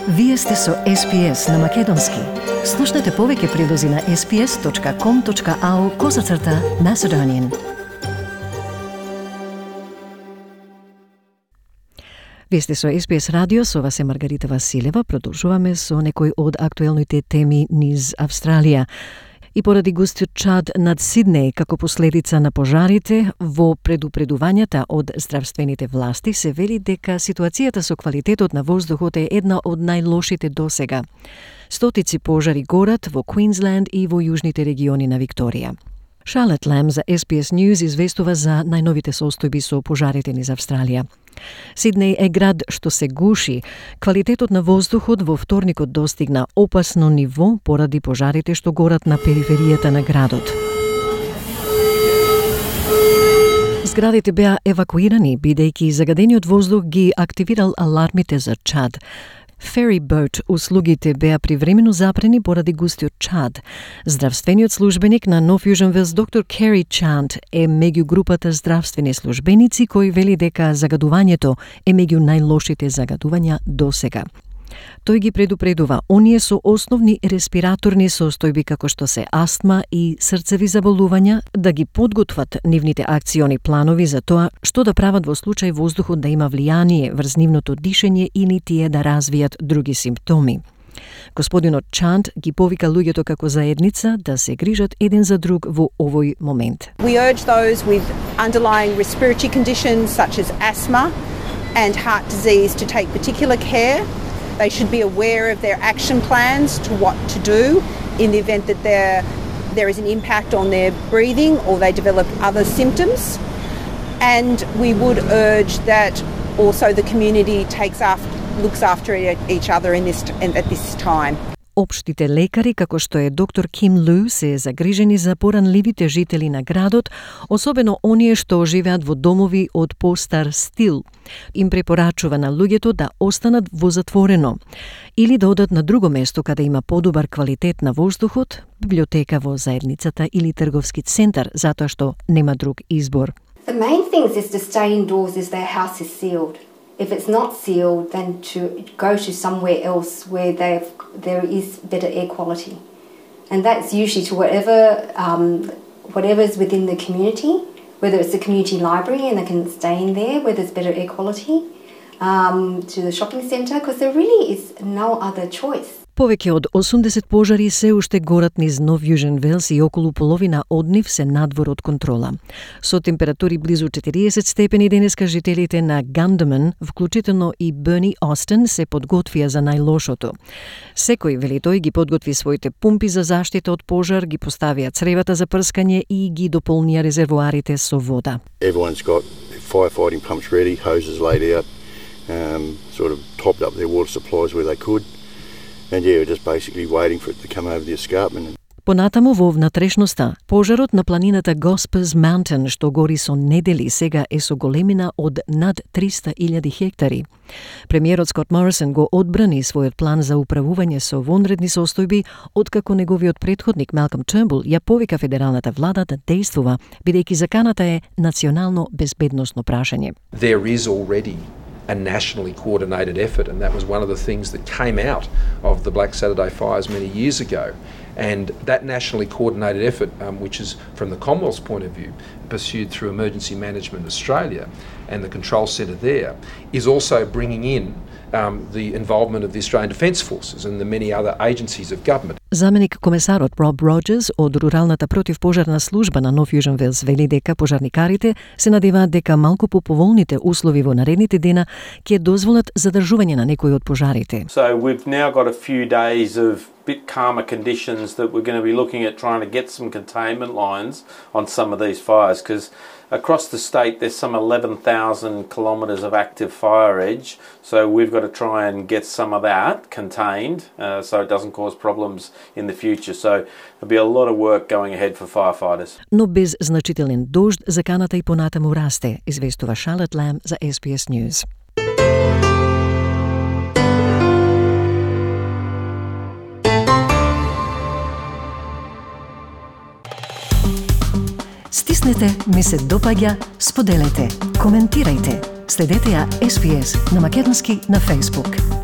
Вие сте со SPS на Македонски. Слушнете повеќе прилози на sps.com.au/Macedonian. Вие сте со SPS радио, со вас е Маргарита Василева. Продолжуваме со некои од актуелните теми низ Австралија. И поради густиот чад над Сиднеј како последица на пожарите, во предупредувањата од здравствените власти се вели дека ситуацијата со квалитетот на воздухот е една од најлошите досега. Стотици пожари горат во Квинсленд и во јужните региони на Викторија. Charlotte Lamb за SBS News известува за најновите состојби со пожарите низ Австралија. Сиднеј е град што се гуши. Квалитетот на воздухот во вторникот достигна опасно ниво поради пожарите што горат на периферијата на градот. Зградите беа евакуирани, бидејќи загадениот воздух ги активирал алармите за чад. Ferry boat услугите беа привремено запрени поради густиот чад. Здравствениот службеник на North Fusion Wells доктор Кери Чант е меѓу групата здравствени службеници кои вели дека загадувањето е меѓу најлошите загадувања досега. Тој ги предупредува оние со основни респираторни состојби како што се астма и срцеви заболувања да ги подготват нивните акциони планови за тоа што да прават во случај воздухот да има влијание врз нивното дишење или тие да развијат други симптоми. Господинот Чант ги повика луѓето како заедница да се грижат еден за друг во овој момент. We urge those with underlying respiratory conditions such as asthma and heart disease to take particular care. They should be aware of their action plans to what to do in the event that there is an impact on their breathing or they develop other symptoms. And we would urge that also the community looks after each other at this time. Општите лекари, како што е доктор Ким Лу, се загрижени за поранливите жители на градот, особено оние што живеат во домови од постар стил. Им препорачува на луѓето да останат во затворено или да одат на друго место каде има подобар квалитет на воздухот, библиотека во заедницата или трговски центар, затоа што нема друг избор. The main thing is to stay indoors if their house is sealed. If it's not sealed, then to go to somewhere else where there is better air quality. And that's usually to whatever is within the community, whether it's the community library and they can stay in there where there's better air quality, to the shopping centre, because there really is no other choice. Повеќе од 80 пожари се уште горат низ North Fusion Wells и околу половина од нив се надвор од контрола. Со температури близу 40 степени денеска жителите на Gunderman, вклучително и Bernie Austin, се подготвија за најлошото. Секој, вели тој, ги подготви своите пумпи за заштита од пожар, ги поставија цревата за прскање и ги дополнија резервоарите со вода. Everyone's got firefighting pumps ready, hoses laid out, sort of topped up their water supplies where they could. And yeah, we're just basically waiting for it to come over the escarpment. Понатаму во внатрешноста, пожарот на планината Gospers Mountain, што гори со недели, сега е со големина од над 300.000 хектари. Премиерот Скот Морисон го одбрани својот план за управување со вонредни состојби, откако неговиот претходник Малком Тернбул ја повика федералната влада да действува, бидејќи заканата е национално безбедносно прашање. There is already a nationally coordinated effort, and that was one of the things that came out of the Black Saturday fires many years ago. And that nationally coordinated effort, which is from the Commonwealth's point of view, pursued through Emergency Management Australia and the control centre there, is also bringing in the involvement of the Australian Defence Forces and the many other agencies of government. Заменик комесарот Роб Роджерс од Руралната противпожарна служба на North Fusion Wells вели дека пожарникарите се надеваат дека малку по поволните услови во наредните дена ќе дозволат задржување на некои од пожарите. So we've now got a few days of bit calmer conditions that we're going to be looking at trying to get some containment lines on some of these fires, because across the state there's some 11,000 kilometres of active fire edge, so we've got to try and get some of that contained so it doesn't cause problems in the future. So there'll be a lot of work going ahead for firefighters. Но без значителен дожд заканата и понатаму расте, известува Charlotte Lamb за SBS News. Стиснете, ми се допаѓа, споделете, коментирајте. Следете ја SPS на Македонски на Facebook.